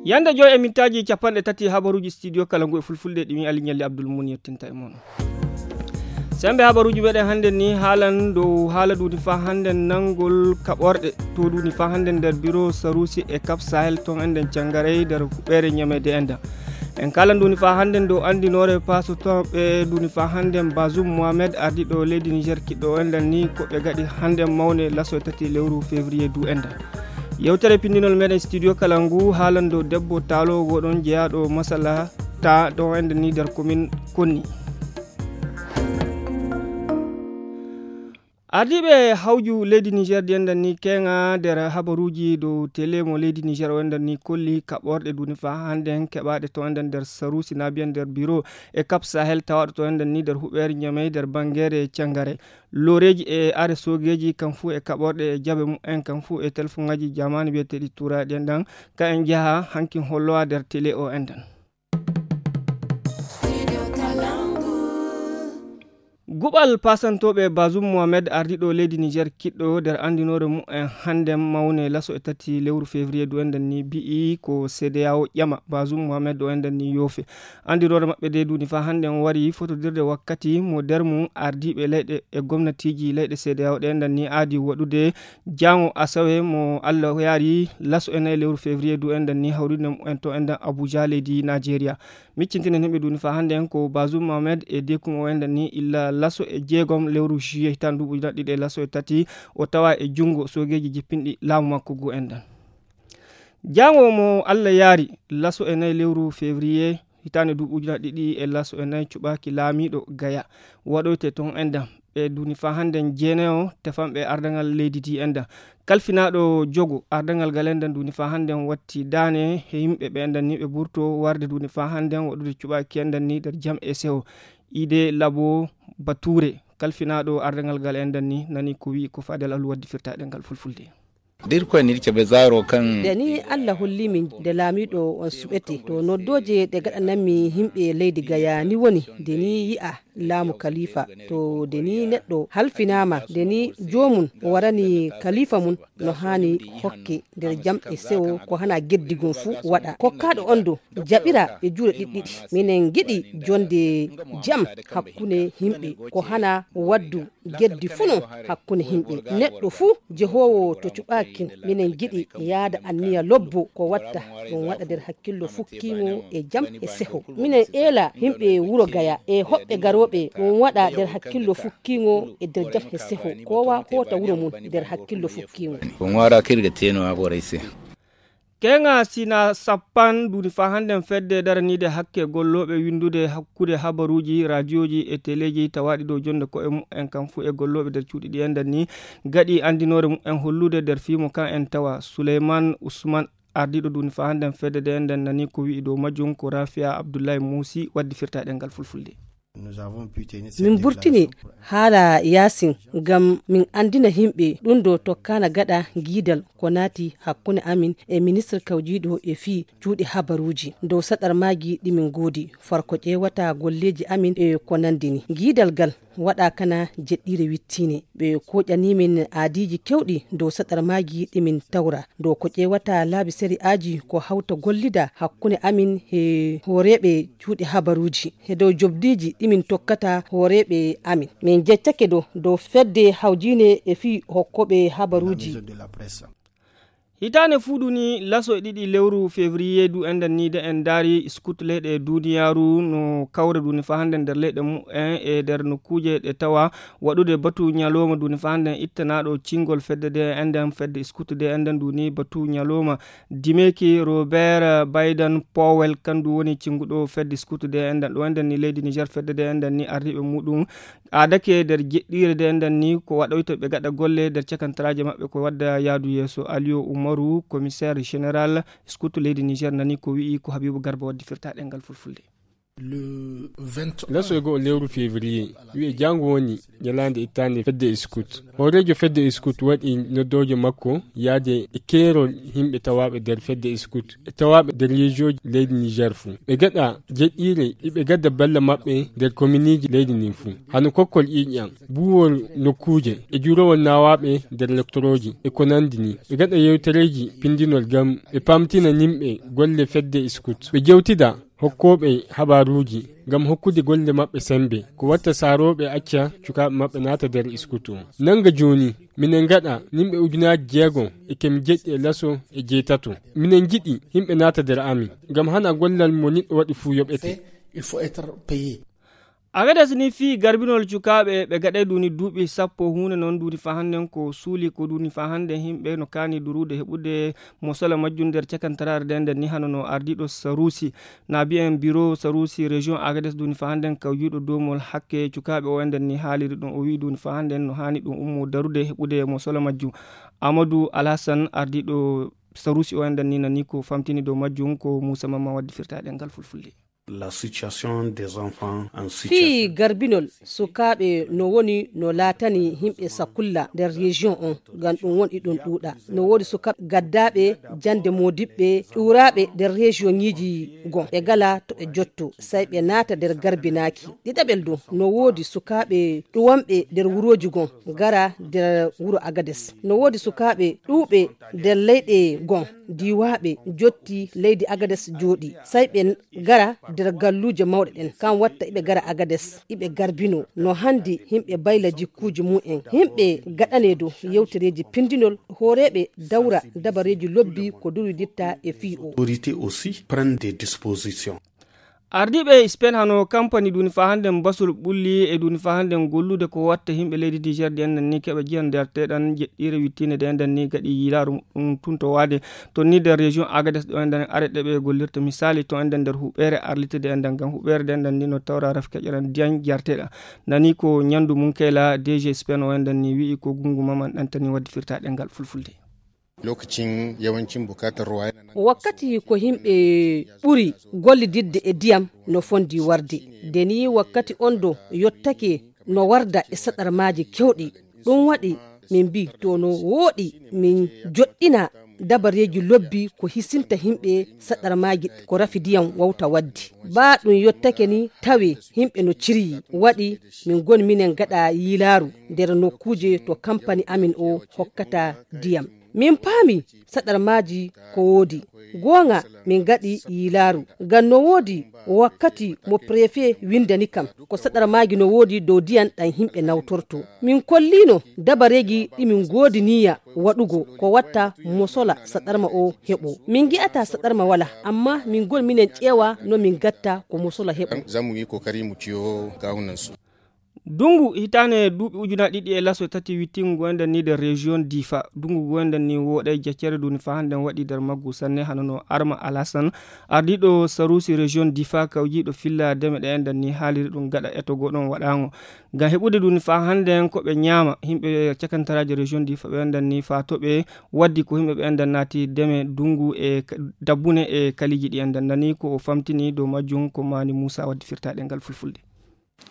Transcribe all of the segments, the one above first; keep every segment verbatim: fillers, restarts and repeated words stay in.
Yande joy e mintaaji capanɗe tati habaruuji studio kala ngu e fulfulde ɗi mi Ali Ñalli Abdul Mun yettinta e mon. Sembe habaruuji meɗen hannde ni haalan dow haala duni fa hannde nanngol kaɓorɗe to duni fa hannde nder biro Sarusi e Cap Sahel ton enɗen cangaray nder huɓeere ñamede enɗan. En kala nduni fa hannde dow anndinoore paso to ɓe nduni fa hannde Bazoum Mohamed ardiɗo leydi Niger kiɗɗo enɗan ni ko ɓe gaɗi hannde mawne laso e tati lewru février du enɗan. Yewtere pinndinol meɗen studio kala ngu haalando debbo taalo woɗon jeyaaɗo masala ta ɗo enɗan ni nder komin konni. Ardiiɓe hawju leydi Niger ɗi enɗan ni keŋa nder habaruuji dow tele mo leydi Niger o enɗan ni kolli kaɓorɗe duni fa hannde keɓaaɗe to enɗan nder Sarusi na biyan nder biro e Cap Sahel tawaaɗo to enɗan ni nder huɓeere Ñamey nder banngeere cangare. Looreeji e are soogeeji kam fuu e kaɓorɗe e jaɓe mumen kam fuu e telefoŋaaji jamaanu biyeteeɗi tuuraaɗi enɗan ka en njaha hankin hollowa nder tele o enɗan. Guɓal pasantooɓe Bazoum Mohamed ardiiɗo leydi Niger kiɗɗo nder anndinoore mumen hannde mawne laso e tati lewru février du enɗan ni bi'i ko C D A O ƴama Bazoum Mohamed o enɗan ni yoofe. Anndinoore maɓɓe de duni fa hannde on wari fotodirde wakkati mo nder mum ardiiɓe leyɗe e gomnatiiji leyɗe C D A O ɗe enɗan ni aadi waɗude jaango asawe mo Allah yaari laso e nayi lewru février du enɗan ni hawrinde mumen to enɗan Abuja leydi Nigeria. Miccintinen himɓe duni fa hannde en ko Bazoum Mohamed e dekum o enɗan ni illa laso e jeegom lewru juillet hitaande duuɓi ujunaaji ɗiɗi e laso e tati o tawa e junngo soogeeji jippinɗi laamu makko ngu enɗan. Jaango mo Allah yaari laso e nayi lewru février hitaande duuɓi ujunaaji ɗiɗi e laso e nayi cuɓaaki laamiiɗo Gaya waɗoyte ton enɗan. Ɓe duni fa hannde jeenayo tefanɓe ardaŋal leydi ndi enɗan. Kalfinaaɗo jogo ardaŋal ngal enɗan duni fa hannde watti daane he yimɓe ɓe enɗan ni ɓe ɓurto warde duni fa hannde waɗude cuɓaaki enɗan ni nder jam e sewo. Ide Labo Bature kalfinaaɗo ardaŋal ngal enɗan ni nani ko wi'i ko Fadel Alu waddi firtaɗe ngal fulfulde. Dir ko nirke ɓe zaaro kan. Nde ni Allah holli min nde laamiiɗo on suɓete to noddooje ɗe gaɗananmi yimɓe leydi Gaya ni woni nde ni yi'a laamu kalifa to nde ni neɗɗo halfinaama nde ni joomum warani kalifa mum no haani hokke nder jam e sewo ko hana geddi gon fuu waɗa kokkaaɗo on do jaɓira e juuɗe ɗiɗɗiɗi. Minen ngiɗi jonde jam hakkunde yimɓe ko hana waddu geddi fuu non hakkunde yimɓe. Neɗɗo fuu jehoowo to cuɓaakin minen ngiɗi yaada anniya lobbo ko watta ɗum waɗa nder hakkillo fukkiimo e jam e seho. Minen eela yimɓe wuro Gaya e hoɓɓe garooɓe ɗum waɗa nder hakkillo fukkiimo e nder jam e seho. Kowa hoota wuro mum nder hakkillo fukkiimo. Ko ŋwaara kirga teeno a ɓoray se. Keŋa sina sappan duni fa hannden fedde daraniide hakke gollooɓe winndude hakkude habaruuji, raadiyoji e teleeji tawaaɗi dow jonnde ko'e mu'en kan fuu e gollooɓe nder cuuɗi ɗi enɗan ni gaɗi anndinoore mu'en hollude nder fiimo kan en tawa. Suleyman Usman ardiiɗo duni fa hannden fedde de enɗan nani ko wi'i dow majjum ko Rafiya Abdullahi Muusi waddi firta ɗengal fulfulde. Min burtini haala yaasin ngam min anndina yimɓe ɗum ɗo tokkaana gaɗa giidal ko naati hakkunde amin e ministre kawjiiɗo e fii cuuɗi habaruuji dow saɗarmaaji ɗi min ngoodi farko ƴeewata golleeji amin e ko nanndi ni. Giidal gal waɗa kana jeɗɗiire wittiine ɓe koƴani min aadiiji kewɗi dow saɗarmaaji ɗi min tawra dow ko ƴeewata laabi sari'aaji ko hawta gollida hakkunde amin he hooreeɓe cuuɗi habaruuji he dow jobdiiji ɗi min tokkata hooreeɓe amin. Min jeccake do dow fedde hawjiine e fii hokkooɓe habaruuji. Hitaande fuuɗu ni laso e ɗiɗi lewru février du enɗan ni de en ndaari scout leyɗe duniyaaru no kawra duni fa hannden nder leyɗe mu'en e nder nokkuuje ɗe tawa waɗude batu ñalooma duni fa hannden ittanaaɗo cingol fedde de enɗan fedde scout de enɗan duni batu ñalooma. Dimeeki Robert Baydan Powell kandu woni cinguɗo fedde scout de enɗan ɗo enɗan ni leydi Niger fedde de enɗan ni ardiiɓe muɗum aadake nder jeɗɗiire de enɗan ni ko waɗoyta ɓe gaɗa golle nder cakantaraaje maɓɓe ko wadda yaadu yeeso. Aliyo Umaru commissaire général scout leydi Niger nani ko wi'i ko Habibu Garba waddi firta ɗengal fulfulde. Laso e goo lewru février, wi'e jaango woni ñalaande ittaande fedde Scout. Hooreejo fedde Scout waɗi noddoojo makko yaade e keerol yimɓe tawaaɓe nder fedde Scout e tawaaɓe nder région leydi Niger fuu. Ɓe gaɗa jeɗɗiire, iɓe gadda balla maɓɓe nder kominiiji leydi ndin fuu. Hano kokkol ƴiiƴam, buuwol nokkuuje e juurowol naawaaɓe nder lektorooji e ko nandi ni. Ɓe gaɗa yewtereeji pindinol ngam ɓe paamtina yimɓe golle fedde Scout. Ɓe jewtida hokkooɓe habaaruuji ngam hokkude golle maɓɓe semmbe. Ko watta saarooɓe acca cukaaɓe maɓɓe naata nder Scout o. Nannga jooni, minen gaɗa yimɓe ujunaaji jeego e kemi jeɗɗi e laso e jeetato. Minen njiɗi yimɓe naata nder amin, ngam hana gollal mo neɗɗo waɗi fuu yoɓete. Il faut être payé. Agades ni fii garbinol cukaaɓe ɓe gaɗay duuni duuɓi sappo huunde noon duuni faa hannden ko suuli ko duuni faa hannden yimɓe no kaani durude heɓude mo sola majjum nder cakantaraare nden nden ni hano no ardiiɗo Saruusi na biyen biro Saruusi région Agades duuni faa hannden kawjiiɗo doomol hakke cukaaɓe o enden ni haaliri ɗum o wi'i duuni faa hannden no haani ɗum ummo darude heɓude mo sola majjum. Amadou Alhassan ardiiɗo Saruusi o enden ni nani ko famtini dow majjum ko Muusa Mamma waddi firtaade ngal fulfulde. La situation des enfants en fii situation garbinol sukaaɓe no woni no laatani yimɓe sakulla nder région on ngam ɗum woni ɗum ɗuuɗa. No woodi sukaaɓe gaddaaɓe jannde moodiɓɓe ƴuuraaɓe nder région ŋiiji gon ɓe gala to ɓe jotto say ɓe naata nder garbinaaki. Ɗiɗaɓel dow no woodi sukaaɓe ɗuwanɓe nder wurooji gon gara nder wuro Agades. No woodi sukaaɓe ɗuuɓe nder leyɗe gon diiwaaɓe jotti leydi Agades jooɗi say ɓe gara nder galluuje mawɗe ɗen. Kan watta iɓe gara Agades iɓe garbino no handi yimɓe bayla jikkuuji mum en. Yimɓe gaɗane dow yewtereeji pindinol hooreeɓe dawra dabareeji lobbi ko durwiditta e fii o. Autorités aussi prennent des dispositions. Ardiiɓe Spain hano kampani duuni faa hannden basol ɓulli e duuni faa hannden gollude ko watta yimɓe leydi Niger ɗi enden ni keɓa jiyan nderteɗan jeɗɗiire wittiinde ɗe enden ni gaɗi yiilaaru ɗum tun to waade. Toon ni nder région Agades ɗo enden are ɗe ɓe gollirta misali to enden nder huɓeere arlitede enden ngam huɓeere nde enden ni no tawra ref keƴeran diyan jarteɗa. Nani ko ñandu mum kayla D G Spain o enden ni wi'i ko gungu maman ɗantani waddi firta ɗengal fulfulde. Lokacin yawancin bukatar ruwa yana nan. Wakkati ko yimɓe ɓuri gollididde e diyam no fondi warde. Nde ni wakkati on do yottake no warda e saɗarmaaji kewɗi. Ɗum waɗi min mbi to no wooɗi min joɗɗina dabareeji lobbi ko hisinta yimɓe saɗarmaaji ko rafi diyam wawta waddi. Baa ɗum yottake ni tawe yimɓe no ciryi waɗi min goni minen gaɗa yiilaaru nder nokkuuje to kampani amin o hokkata diyam. Min paami saɗarmaaji ko woodi. Goonga min gaɗi yiilaaru. Ngam no woodi wakkati mo prefe windani kam ko saɗarmaaji no woodi dow diyan ɗan yimɓe nawtorto. Min kolliino dabareeji ɗi min goodi niyya waɗugo ko watta mo sola saɗarma o heɓo. Min ngi'ata saɗarma wala, amma min goni minen ƴeewa no min gatta ko mo sola heɓo. Za mu yi kokari mu ciyo kawunansu. Dungu hitaane duuɓi ujunaaji ɗiɗi e laso tati wittingu goyndal ni nder région Difa. Dungu goyndal ni wooɗay jaccere duni fa hannden waɗi nder maggu sanne hano no Arma Alasan, ardiiɗo Sarusi région Difa kawjiiɗo filla deme ɗe enɗan ni haaliri ɗum gaɗa etogo ɗon waɗaango. Ngam heɓude duni fa hannden ko ɓe ñaama, yimɓe cakantaraaji région Difa ɓe enɗan ni fa to ɓe waddi ko yimɓe ɓe enɗan naati deme dungu e ka-, dabbune e kaliiji ɗi enɗan nani ko o famtini dow majjum ko Mani Muusa waddi firtaaɗe ngal fulfulde.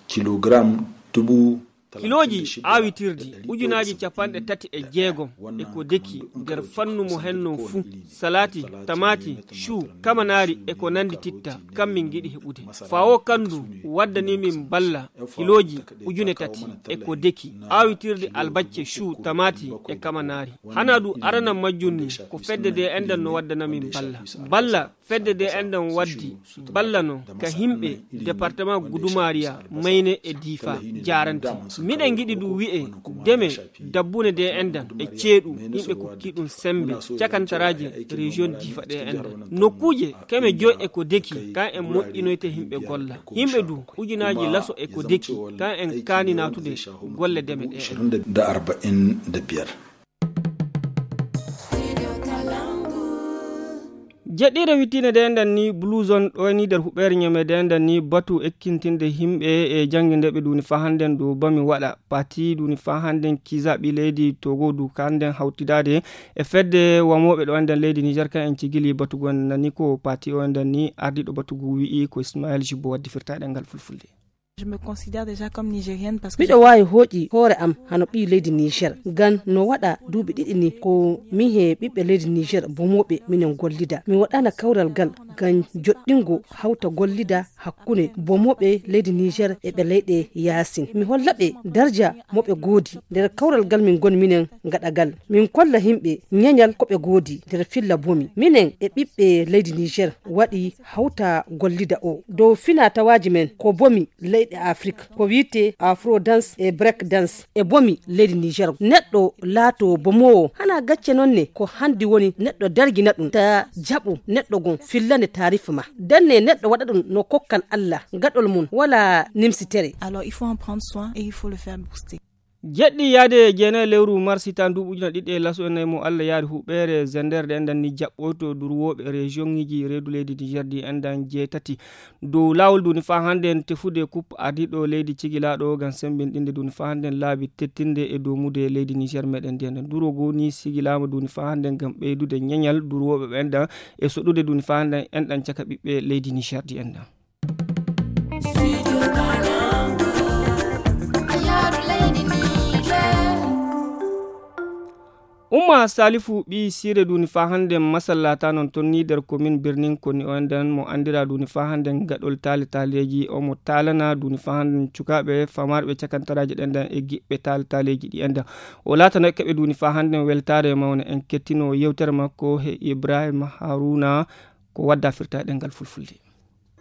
Kilogram dubu kilooji aawitirdi ujunaaji capanɗe tati e jeegom e ko deki nder fannu mo henno fuu, salaati, tamaati, cuu, kamanaari e ko nanndi titta, kam min ngiɗi heɓude. Faa o kanndu waddani min balla kilooji ujune tati e ko deki aawitirdi albacce, cuu, tamaati e kamanaari. Hanaa du aranan majjum ni ko fedde de enɗan no waddana min balla. Balla fedde de enɗan waddi balla non ka yimɓe departement Gudumariya, Mayne e Difa jaarante. Miɗen ngiɗi du wi'e deme dabbune de enɗan e ceeɗu yimɓe kokki ɗum sembe cakantaraaje région Difa ɗe enɗan. Nokkuuje keme joy e ko deki kan en moƴƴinoyte yimɓe golla. Yimɓe du ujunaaji laso e ko deki kan en kaani naatude golle deme ɗe enɗan. Da arba'in da biyar. Jeɗɗiire wittiinde nde enɗan ni Blue Zone ɗo e ni nder huɓeere ñame nde enɗan ni batu ekkintinde yimɓe e janngindeeɓe duni faa hannden ɗo bami waɗa pati duni faa hannden kizaɓi leydi Togo du ka hannden hawtidaade e fedde wamooɓe ɗo enɗan leydi Niger kan en cigili batugo en nani ko pati o enɗan ni ardiiɗo batugo wi'i ko Ismaël Jubbo waddi firtaaɗe ngal fulfulde. Je me considère déjà comme nigérienne parce que miɗo waawi hooƴi hoore am hano ɓii leydi Niger. Ngam no waɗa duuɓi ɗiɗi ni ko min he ɓiɓɓe leydi Niger bomooɓe minen gollida. Mi waɗaana kawral ngal ngam joɗɗingo hawta gollida hakkunde bomooɓe leydi Niger e ɓe leyɗe yaasin. Mi holla ɓe darja mo ɓe goodi. Nder kawral ngal min ngoni minen ngaɗagal. Min kolla yimɓe ñeñal ko ɓe goodi nder filla bomi. Minen e ɓiɓɓe leydi Niger waɗi hawta gollida o. Dow fina tawaaji men ko bomi leyɗe Afrik, ko wiyetee Afro dance e break dance e bomi leydi Niger. Neɗɗo laato bomoowo, hana gacce noon ne ko hanndi woni neɗɗo dargina ɗum, ta jaɓu neɗɗo gon fillane taarif ma. Danne neɗɗo waɗa ɗum no kokkal Allah, gaɗol mum wala nimsitere. Alors, il faut en prendre soin et il faut le faire booster. Jeɗɗi yaade e jeenayi lewru mars hitaan nduuɓu ujuna ɗiɗi e laso e nayi mo Allah yaari huɓeere Zender ɗe enɗan ni jaɓɓoyto durwooɓe région ŋiji reedu leydi Niger ɗi enɗan jeetati. Dow laawol duni faa hannde en tefude kup ardiiɗo leydi cigilaaɗo ngam semmbinɗinde duni faa hannde en laabi tettinde e domude leydi Niger meɗen ndi enɗan. Duro goo ni sigilaama duni faa hannde ngam ɓeydude ñeñal durwooɓe ɓe enɗan e soɗude duni faa hannde enɗan caka ɓiɓɓe leydi Niger ɗi enɗan. Umma Salifu ɓii Sire duni faa hannde masallata noon toon ni nder komin Birnin Koni o enɗan mo anndira duni faa hannde gaɗol taale taaleeji o mo taalana duni faa hannde cukaaɓe famarɓe cakantaraaji ɗenɗan e giɓɓe taale taaleeji ɗi enɗan. O laatana keɓe duni faa hannde weltaare mawne en kettino yewtere makko he Ibrahima Haruna ko wadda firta e ɗemngal fulfulde.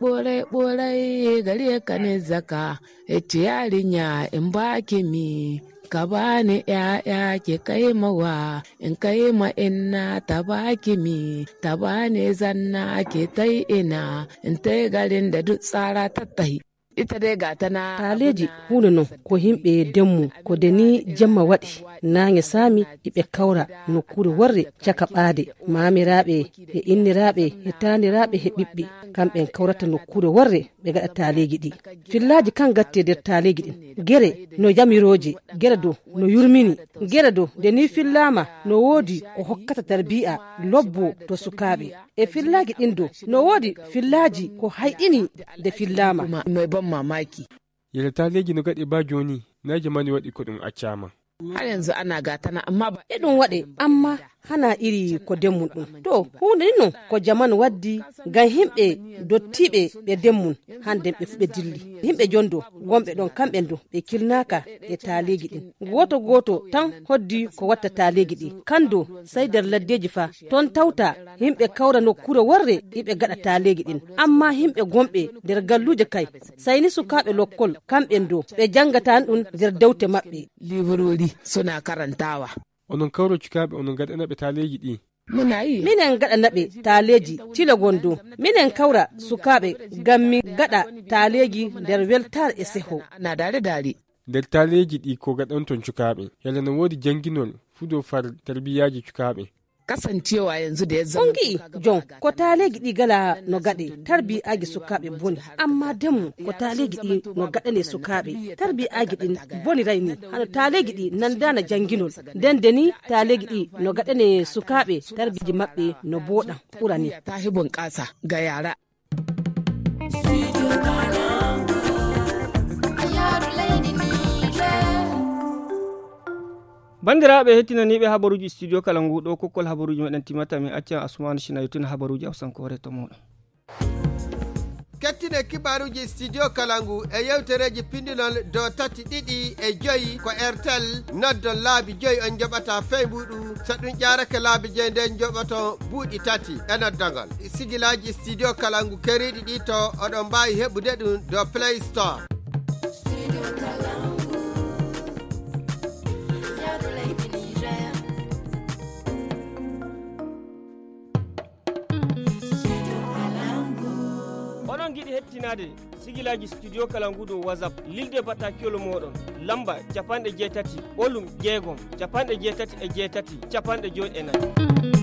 Ɓorai ɓorai gari ya kane zaka, ece yarinya in baki mi, ka bani ƴaƴa ke kai mawa, in kai ma inna ta baki mi, ta bani zanna ke tai ina, in tai garin da duk tsara tattahi. Ita dai ga ta na taaleeji huunde non ko yimɓe demmu, ko de ni jemma waɗi, naange saami iɓe kawra nokkuure worre caka ɓaade, maamiraaɓe e inniraaɓe e taaniraaɓe e ɓiɓɓe, kamɓe en kawrata nokkuure worre ɓe gaɗa taaleeji ɗi. Fillaaji kan gatte nder taaleeji ɗin. Gere no yamirooje, gere do no yurmini, gere do nde ni fillaama no woodi ko hokkata tarbiya lobbo to sukaaɓe. E fillaaji ɗin do no woodi fillaaji ko hayɗini nde fillaama. Mai ban mamaki. Yele taaleeji no gaɗe ba jooni, na jamaani waɗi ko ɗum accaama. Har yanzu ana gatana, amma ba e ɗum waɗe, amma hana iri ko demmun ɗum. To, huunde ni non ko jaman waddi ngam yimɓe dottiiɓe ɓe demmun, hande ɓe fu ɓe dilli. Yimɓe jondo wonɓe ɗon kamɓe do ɓe kilnaaka e taaleeji ɗin. Gooto gooto tan hoddi ko watta taaleeji ɗi. Kando sai nder laddeeji fa, ton tawta yimɓe kawra nokkuure worre iɓe gaɗa taaleeji ɗin. Amma yimɓe gonɓe nder galluuje kay, sai ni sukaaɓe lokkol, kamɓen do ɓe jangata ɗum nder dewte maɓɓe. Librori suna karantawa. Onon kawro cukaaɓe, onon gaɗana ɓe taaleeji ɗi. Muna yi. Minen gaɗana ɓe taaleeji tile gondo. Minen kawra sukaaɓe ngam min gaɗa taaleeji nder weltaare e seho. Ana dare dare. Nder taaleeji ɗi ko gaɗanton cukaaɓe? Yalla no woodi janginol fuu dow far tarbiyaaji cukaaɓe? Kasancewa yanzu da ya zama on gi'i jon ko taaleeji ɗi gala no gaɗe tarbiyaaji sukaaɓe boni, amma demmu ko taaleeji ɗi no gaɗane sukaaɓe tarbiyaaji ɗin boni rayni hano taaleeji ɗi nandana janginol. Nden de ni taaleeji ɗi no gaɗane sukaaɓe tarbiyaaji maɓɓe no booɗa ɓurani. Ta hi bunƙasa ga yara. Banndiraaɓe hettinaniiɓe habaruuji studio kala ngu ɗo kokkol habaruuji meɗen timata, min acca Asumani Sina yottina habaruuji awsankoore to muɗum. Kettine kibaruuji studio kala ngu e yewtereeji pindinol dow tati ɗiɗi e joyi ko Airtel. Noddon laabi joyi on njoɓata fey mbuɗu. So ɗum ƴaarake laabi joyi nden njoɓoton buuɗi tati e noddagol. Sigilaaji studio kala ngu keriiɗi ɗi to oɗon mbaawi heɓude ɗum dow Play Store. Oɗon ngiɗi hettinaade sigilaaji studio kala ngu dow WhatsApp, lilde batakiyol mooɗon lamba capanɗe jeetati ɓolum jeegom capanɗe jeetati e jeetati capanɗe joy e nayi.